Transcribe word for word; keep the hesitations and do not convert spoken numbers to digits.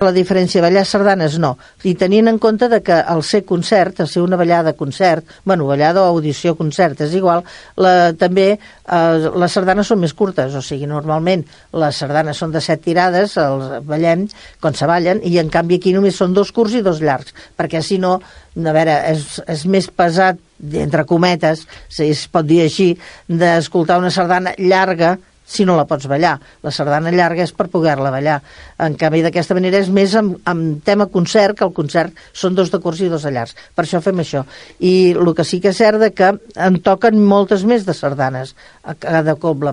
La diferència, ballar sardanes no, i tenint en compte de que al ser concert, al ser una ballada concert, bueno, ballada o audició concert, és igual, la, també eh, les sardanes són més curtes, o sigui, normalment les sardanes són de set tirades, els ballem quan se ballen, i en canvi aquí només són dos curts i dos llargs, perquè si no, a veure, és, és més pesat, entre cometes, si es pot dir així, d'escoltar una sardana llarga si no la pots ballar. La sardana llarga és per poder-la ballar. En canvi, d'aquesta manera és més amb, amb tema concert, que el concert són dos de curts i dos de llargs. Per això fem això. I el que sí que és cert que en toquen moltes més de sardanes a cada cobla.